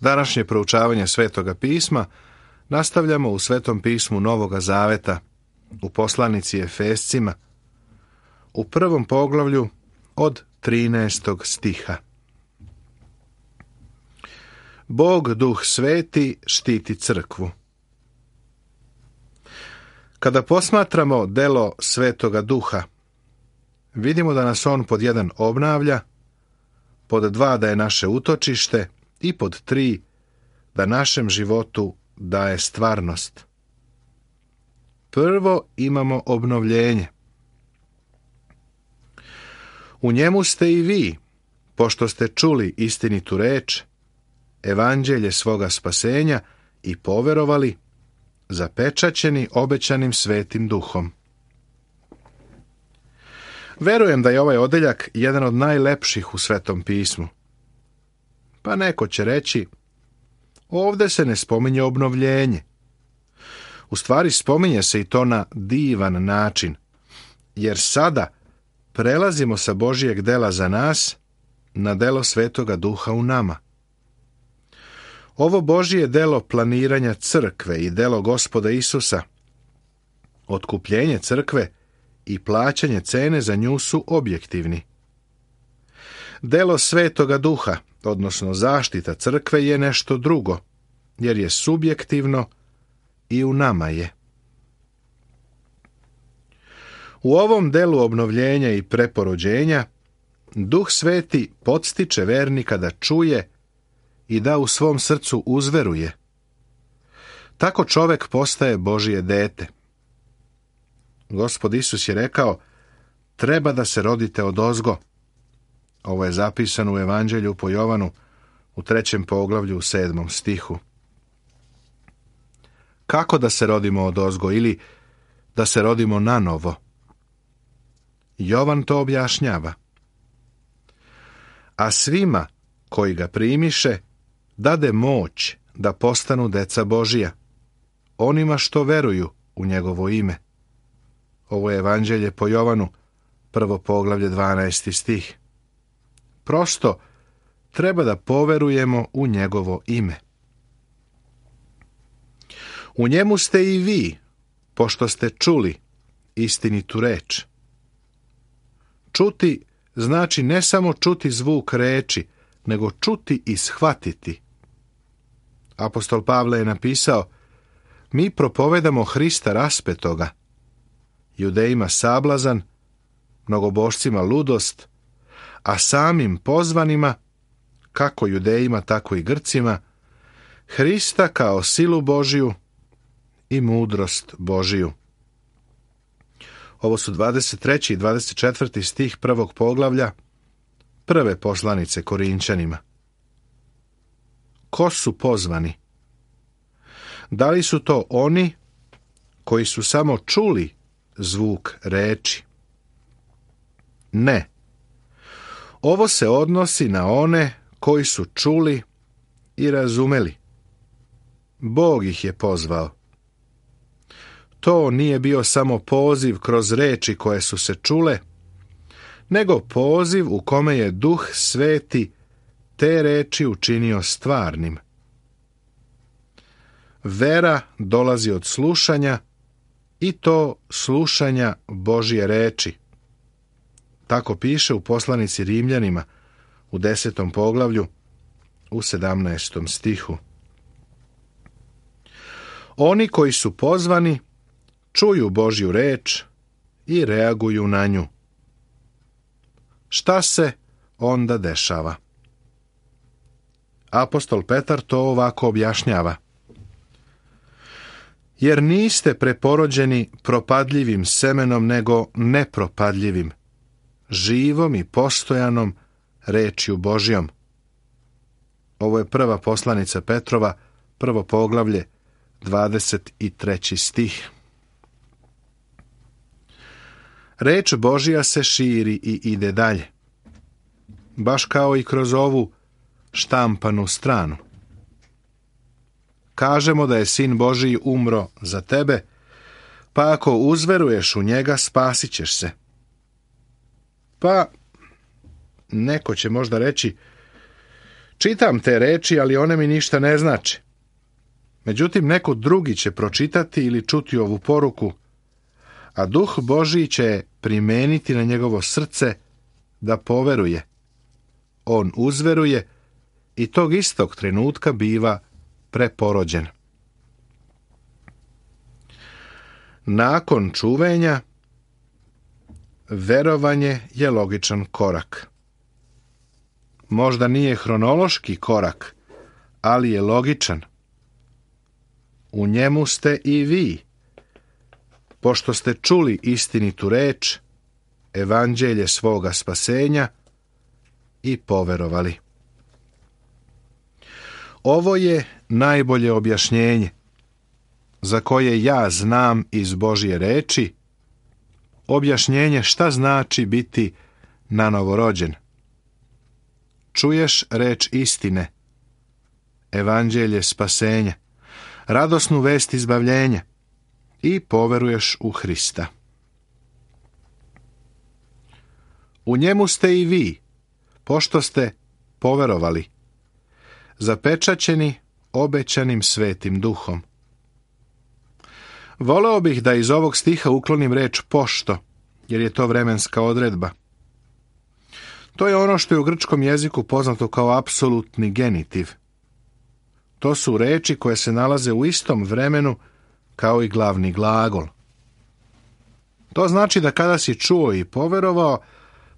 Današnje proučavanje Svetoga pisma nastavljamo u Svetom pismu Novoga Zaveta, u poslanici Efescima, u 1. poglavlju od 13. stiha. Bog, Duh Sveti, štiti crkvu. Kada posmatramo delo Svetoga Duha, vidimo da nas on pod 1 obnavlja, pod 2 da je naše utočište i pod 3 da našem životu daje stvarnost. Prvo imamo obnovljenje. U njemu ste i vi, pošto ste čuli istinitu reč, evanđelje svoga spasenja i poverovali, zapečaćeni obećanim Svetim Duhom. Verujem da je ovaj odeljak jedan od najlepših u Svetom pismu. Pa neko će reći, ovdje se ne spominje obnovljenje. U stvari spominje se i to na divan način, jer sada prelazimo sa Božijeg dela za nas na delo Svetoga Duha u nama. Ovo Božije delo planiranja crkve i delo Gospoda Isusa, otkupljenje crkve i plaćanje cene za nju su objektivni. Delo Svetoga Duha, odnosno zaštita crkve, je nešto drugo, jer je subjektivno i u nama je. U ovom delu obnovljenja i preporođenja Duh Sveti podstiče vernika da čuje i da u svom srcu uzveruje. Tako čovek postaje Božije dete. Gospod Isus je rekao, treba da se rodite odozgo. Ovo je zapisano u Evanđelju po Jovanu u 3. poglavlju u 7. stihu. Kako da se rodimo odozgo ili da se rodimo nanovo? Jovan to objašnjava. A svima koji ga primiše, dade moć da postanu deca Božija, onima što veruju u njegovo ime. Ovo je Evanđelje po Jovanu, 1. poglavlje 12. stih. Prosto treba da poverujemo u njegovo ime. U njemu ste i vi, pošto ste čuli istinitu reč. Čuti znači ne samo čuti zvuk reči, nego čuti i shvatiti. Apostol Pavle je napisao, mi propovedamo Hrista raspetoga, Judejima sablazan, mnogobošcima ludost, a samim pozvanima, kako Judejima, tako i Grcima, Hrista kao silu Božiju i mudrost Božiju. Ovo su 23. i 24. stih 1. poglavlja prve poslanice Korinčanima. Ko su pozvani? Da li su to oni koji su samo čuli zvuk reči? Ne. Ovo se odnosi na one koji su čuli i razumeli. Bog ih je pozvao. To nije bio samo poziv kroz reči koje su se čule, nego poziv u kome je Duh Sveti te reči učinio stvarnim. Vera dolazi od slušanja i to slušanja Božje reči. Tako piše u poslanici Rimljanima u 10. poglavlju u 17. stihu. Oni koji su pozvani čuju Božju reč i reaguju na nju. Šta se onda dešava? Apostol Petar to ovako objašnjava. Jer niste preporođeni propadljivim semenom, nego nepropadljivim, živom i postojanom rečju Božjom. Ovo je prva poslanica Petrova, 1. poglavlje, 23. stih. Reč Božja se širi i ide dalje, baš kao i kroz ovu štampanu stranu. Kažemo da je Sin Božiji umro za tebe, pa ako uzveruješ u njega, spasit ćeš se. Pa, neko će možda reći, Čitam te reči, ali one mi ništa ne znače. Međutim, neko drugi će pročitati ili čuti ovu poruku, a Duh Božji će je primeniti na njegovo srce da poveruje. On uzveruje i tog istog trenutka biva preporođen. Nakon čuvenja, verovanje je logičan korak. Možda nije hronološki korak, ali je logičan. U njemu ste i vi, pošto ste čuli istinitu reč, evanđelje svoga spasenja i poverovali. Ovo je najbolje objašnjenje, za koje ja znam iz Božje reči, objašnjenje šta znači biti nanovorođen. Čuješ reč istine, evanđelje spasenja, radosnu vest izbavljenja i poveruješ u Hrista. U njemu ste i vi, pošto ste poverovali, zapečaćeni obećanim Svetim Duhom. Voleo bih da iz ovog stiha uklonim reč pošto, jer je to vremenska odredba. To je ono što je u grčkom jeziku poznato kao apsolutni genitiv. To su reči koje se nalaze u istom vremenu kao i glavni glagol. To znači da kada si čuo i poverovao,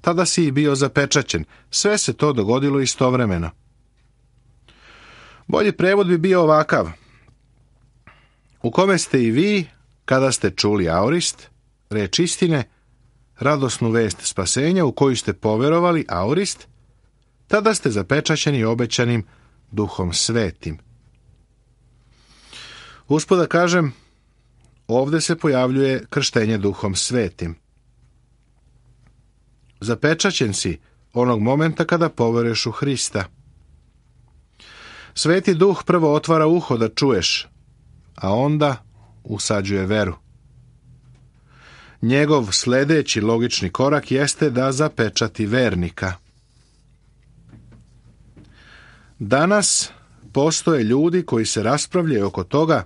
tada si i bio zapečaćen. Sve se to dogodilo istovremeno. Bolji prevod bi bio ovakav: u kome ste i vi, kada ste čuli aorist, reč istine, radosnu vest spasenja u koju ste poverovali, aorist, tada ste zapečaćeni obećanim Duhom Svetim. Usput da kažem, ovdje se pojavljuje krštenje Duhom Svetim. Zapečaćen si onog momenta kada poveruješ u Hrista. Sveti Duh prvo otvara uho da čuješ, a onda usađuje veru. Njegov sljedeći logični korak jeste da zapečati vernika. Danas postoje ljudi koji se raspravljaju oko toga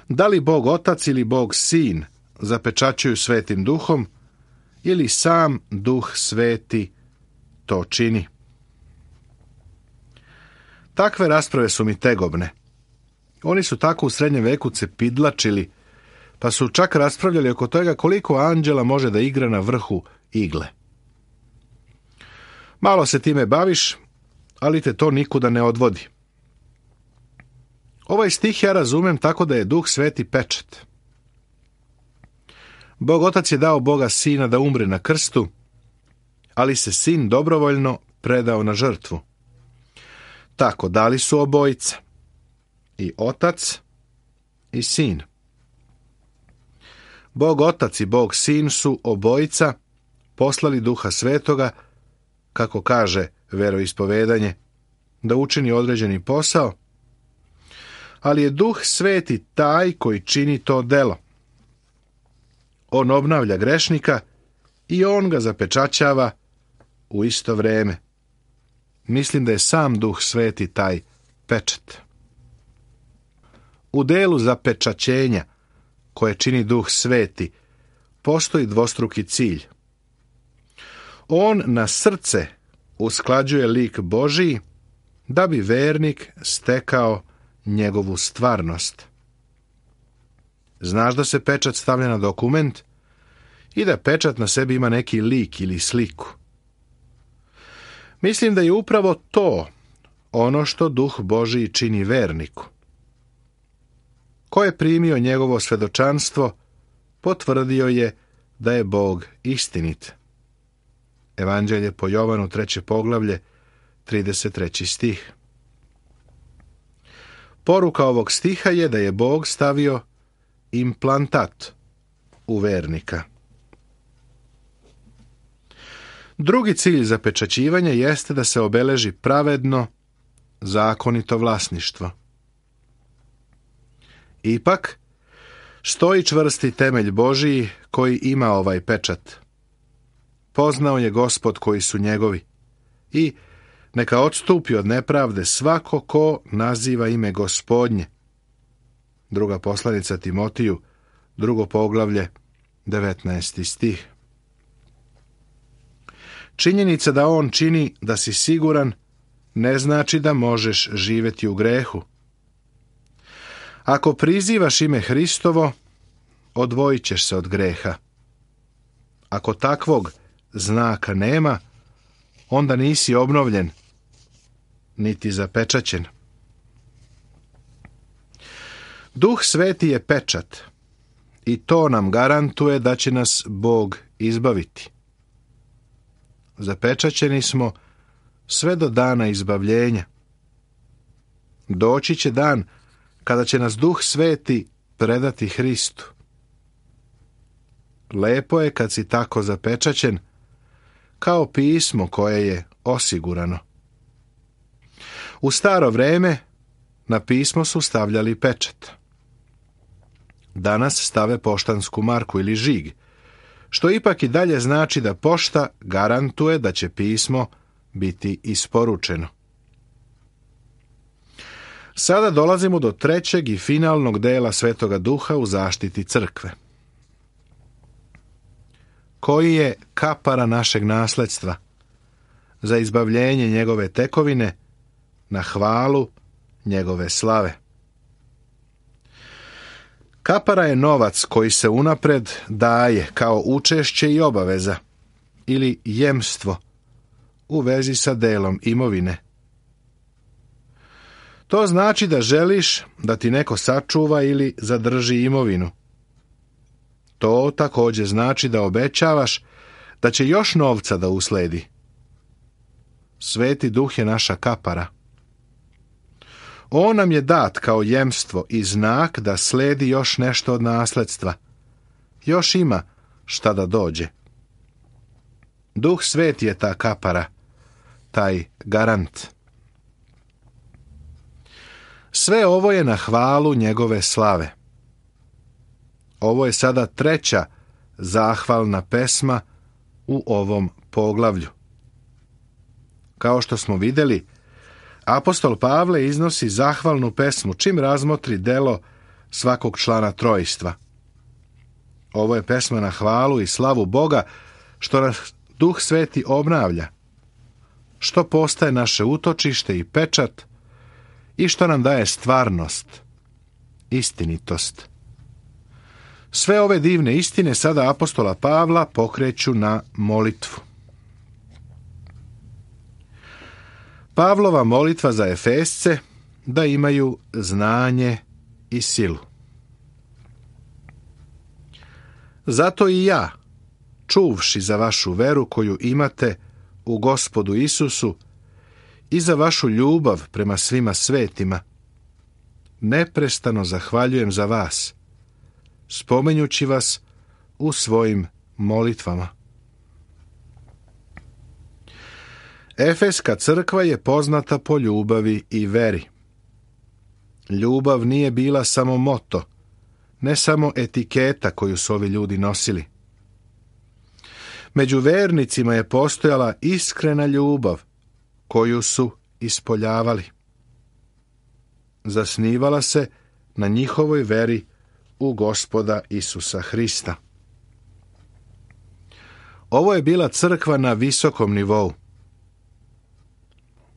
da li Bog Otac ili Bog Sin zapečaćuju Svetim Duhom ili sam Duh Sveti to čini. Takve rasprave su mi tegobne. Oni su tako u srednjem veku cepidlačili, pa su čak raspravljali oko toga koliko anđela može da igra na vrhu igle. Malo se time baviš, ali te to nikuda ne odvodi. Ovaj stih ja razumem tako da je Duh Sveti pečat. Bog Otac je dao Boga Sina da umre na krstu, ali se Sin dobrovoljno predao na žrtvu. Tako dali su obojica, i Otac i Sin. Bog Otac i Bog Sin su obojica poslali Duha Svetoga, kako kaže veroispovedanje, da učini određeni posao, ali je Duh Sveti taj koji čini to delo. On obnavlja grešnika i on ga zapečaćava u isto vrijeme. Mislim da je sam Duh Sveti taj pečat. U delu zapečaćenja koje čini Duh Sveti postoji dvostruki cilj. On na srce usklađuje lik Božiji da bi vernik stekao njegovu stvarnost. Znaš da se pečat stavlja na dokument i da pečat na sebi ima neki lik ili sliku. Mislim da je upravo to ono što Duh Božiji čini verniku. Ko je primio njegovo svedočanstvo, potvrdio je da je Bog istinit. Evanđelje po Jovanu 3. poglavlje, 33. stih. Poruka ovog stiha je da je Bog stavio implantat u vernika. Drugi cilj zapečaćivanja jeste da se obeleži pravedno, zakonito vlasništvo. Ipak, stoji čvrsti temelj Božiji koji ima ovaj pečat. Poznao je Gospod koji su njegovi i Neka odstupi od nepravde svako ko naziva ime Gospodnje. Druga poslanica Timotiju, 2. poglavlje, 19. stih. Činjenica da on čini da si siguran ne znači da možeš živjeti u grehu. Ako prizivaš ime Hristovo, odvojit ćeš se od greha. Ako takvog znaka nema, onda nisi obnovljen, niti zapečaćen. Duh Sveti je pečat i to nam garantuje da će nas Bog izbaviti. Zapečaćeni smo sve do dana izbavljenja. Doći će dan kada će nas Duh Sveti predati Hristu. Lepo je kad si tako zapečaćen, kao pismo koje je osigurano. U staro vreme na pismo su stavljali pečat. Danas stave poštansku marku ili žig, što ipak i dalje znači da pošta garantuje da će pismo biti isporučeno. Sada dolazimo do trećeg i finalnog dela Svetoga Duha u zaštiti crkve. Koji je kapara našeg nasledstva za izbavljenje njegove tekovine na hvalu njegove slave. Kapara je novac koji se unapred daje kao učešće i obaveza ili jemstvo u vezi sa delom imovine. To znači da želiš da ti neko sačuva ili zadrži imovinu. To također znači da obećavaš da će još novca da usledi. Sveti Duh je naša kapara. On nam je dat kao jemstvo i znak da sledi još nešto od nasledstva. Još ima šta da dođe. Duh Sveti je ta kapara, taj garant. Sve ovo je na hvalu njegove slave. Ovo je sada treća zahvalna pesma u ovom poglavlju. Kao što smo vidjeli, apostol Pavle iznosi zahvalnu pesmu čim razmotri delo svakog člana trojstva. Ovo je pesma na hvalu i slavu Boga, što nas Duh Sveti obnavlja, što postaje naše utočište i pečat i što nam daje stvarnost, istinitost. Sve ove divne istine sada apostola Pavla pokreću na molitvu. Pavlova molitva za Efesce da imaju znanje i silu. Zato i ja, čuvši za vašu veru koju imate u Gospodu Isusu i za vašu ljubav prema svima svetima, neprestano zahvaljujem za vas, spominjući vas u svojim molitvama. Efeska crkva je poznata po ljubavi i veri. Ljubav nije bila samo moto, ne samo etiketa koju su ovi ljudi nosili. Među vernicima je postojala iskrena ljubav koju su ispoljavali. Zasnivala se na njihovoj veri u Gospoda Isusa Hrista. Ovo je bila crkva na visokom nivou.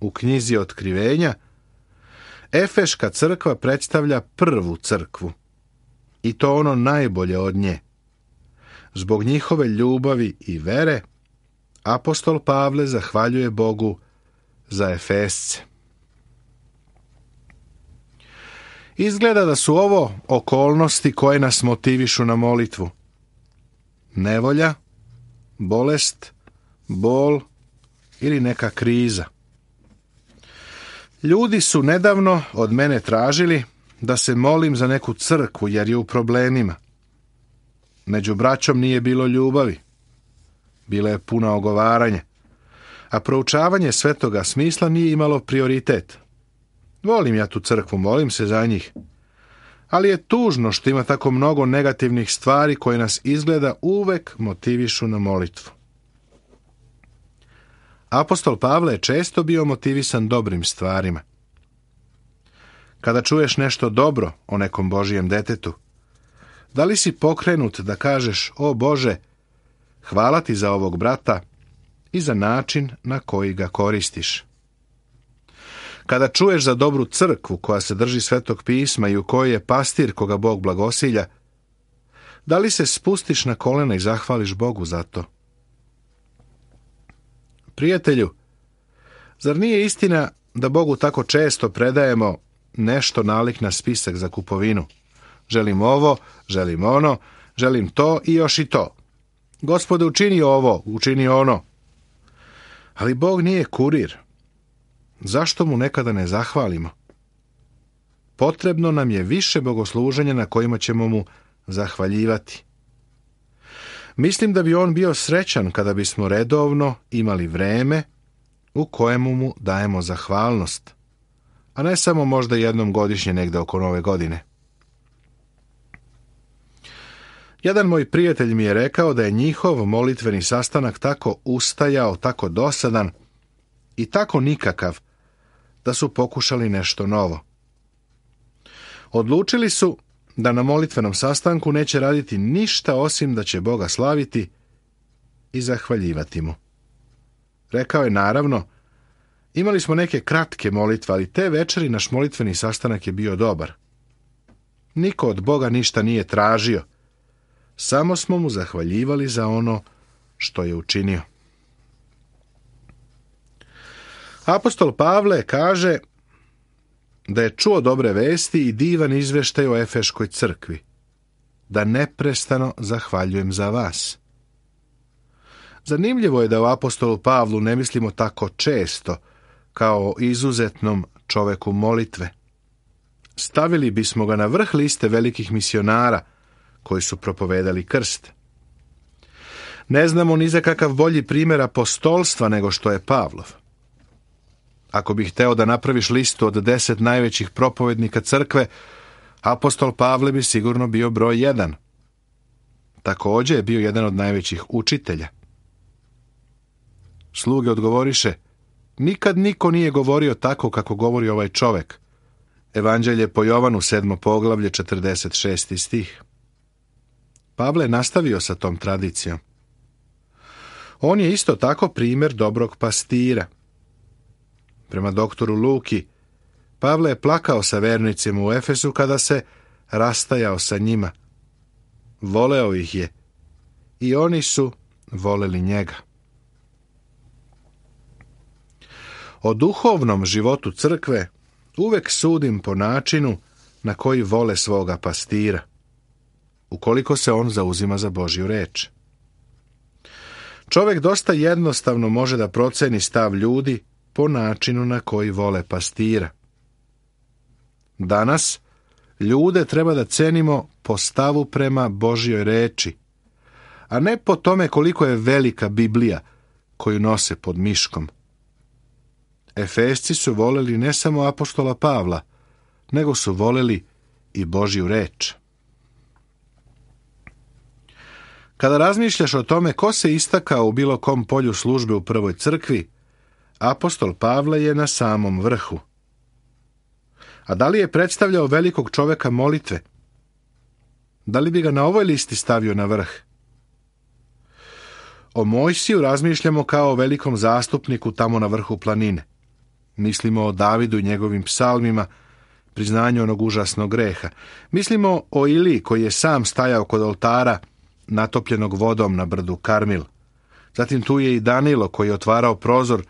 U knjizi Otkrivenja Efeška crkva predstavlja prvu crkvu, i to ono najbolje od nje. Zbog njihove ljubavi i vere, apostol Pavle zahvaljuje Bogu za Efesce. Izgleda da su ovo okolnosti koje nas motivišu na molitvu. Nevolja, bolest, bol ili neka kriza. Ljudi su nedavno od mene tražili da se molim za neku crkvu jer je u problemima. Među braćom nije bilo ljubavi. Bilo je puno ogovaranja, a proučavanje svetoga smisla nije imalo prioritet. Volim ja tu crkvu, molim se za njih. Ali je tužno što ima tako mnogo negativnih stvari koje nas izgleda uvek motivišu na molitvu. Apostol Pavle je često bio motivisan dobrim stvarima. Kada čuješ nešto dobro o nekom Božijem detetu, da li si pokrenut da kažeš: o Bože, hvala ti za ovog brata i za način na koji ga koristiš? Kada čuješ za dobru crkvu koja se drži Svetog pisma i u kojoj je pastir koga Bog blagosilja, da li se spustiš na kolena i zahvališ Bogu za to? Prijatelju, zar nije istina da Bogu tako često predajemo nešto nalik na spisak za kupovinu? Želim ovo, želim ono, želim to i još i to. Gospode, učini ovo, učini ono. Ali Bog nije kurir. Zašto mu nekada ne zahvalimo? Potrebno nam je više bogosluženja na kojima ćemo mu zahvaljivati. Mislim da bi on bio srećan kada bismo redovno imali vreme u kojemu mu dajemo zahvalnost, a ne samo možda jednom godišnje negde oko Nove godine. Jedan moj prijatelj mi je rekao da je njihov molitveni sastanak tako ustajao, tako dosadan i tako nikakav, da su pokušali nešto novo. Odlučili su da na molitvenom sastanku neće raditi ništa osim da će Boga slaviti i zahvaljivati mu. Rekao je: naravno, imali smo neke kratke molitve, ali te večeri naš molitveni sastanak je bio dobar. Niko od Boga ništa nije tražio, samo smo mu zahvaljivali za ono što je učinio. Apostol Pavle kaže da je čuo dobre vesti i divan izveštaj o Efeškoj crkvi, da neprestano zahvaljujem za vas. Zanimljivo je da u apostolu Pavlu ne mislimo tako često kao izuzetnom čoveku molitve. Stavili bismo ga na vrh liste velikih misionara koji su propovedali krst. Ne znamo ni za kakav bolji primjer apostolstva nego što je Pavlov. Ako bih hteo da napraviš listu od 10 najvećih propovednika crkve, apostol Pavle bi sigurno bio broj 1. Također je bio jedan od najvećih učitelja. Sluge odgovoriše: nikad niko nije govorio tako kako govori ovaj čovek. Evanđelje po Jovanu, 7. poglavlje, 46. stih. Pavle je nastavio sa tom tradicijom. On je isto tako primjer dobrog pastira. Prema doktoru Luki, Pavle je plakao sa vernicima u Efesu kada se rastajao sa njima. Voleo ih je i oni su voleli njega. O duhovnom životu crkve uvek sudim po načinu na koji vole svoga pastira, ukoliko se on zauzima za Božju reč. Čovjek dosta jednostavno može da proceni stav ljudi po načinu na koji vole pastira. Danas ljude treba da cenimo po stavu prema Božjoj reči, a ne po tome koliko je velika Biblija koju nose pod miškom. Efesci su voleli ne samo apostola Pavla, nego su voleli i Božju reč. Kada razmišljaš o tome ko se istakao u bilo kom polju službe u prvoj crkvi, apostol Pavle je na samom vrhu. A da li je predstavljao velikog čoveka molitve? Da li bi ga na ovoj listi stavio na vrh? O Mojsiju razmišljamo kao o velikom zastupniku tamo na vrhu planine. Mislimo o Davidu i njegovim psalmima, priznanju onog užasnog greha. Mislimo o Iliji koji je sam stajao kod oltara natopljenog vodom na brdu Karmil. Zatim tu je i Danilo koji je otvarao prozor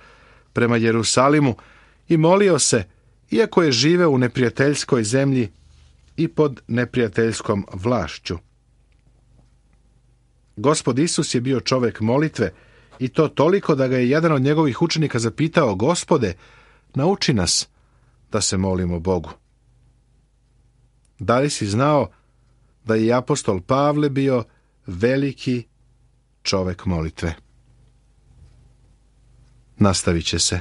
prema Jerusalimu i molio se, iako je živeo u neprijateljskoj zemlji i pod neprijateljskom vlašću. Gospod Isus je bio čovjek molitve i to toliko da ga je jedan od njegovih učenika zapitao: Gospode, nauči nas da se molimo Bogu. Da li si znao da je i apostol Pavle bio veliki čovjek molitve? Nastavit će se.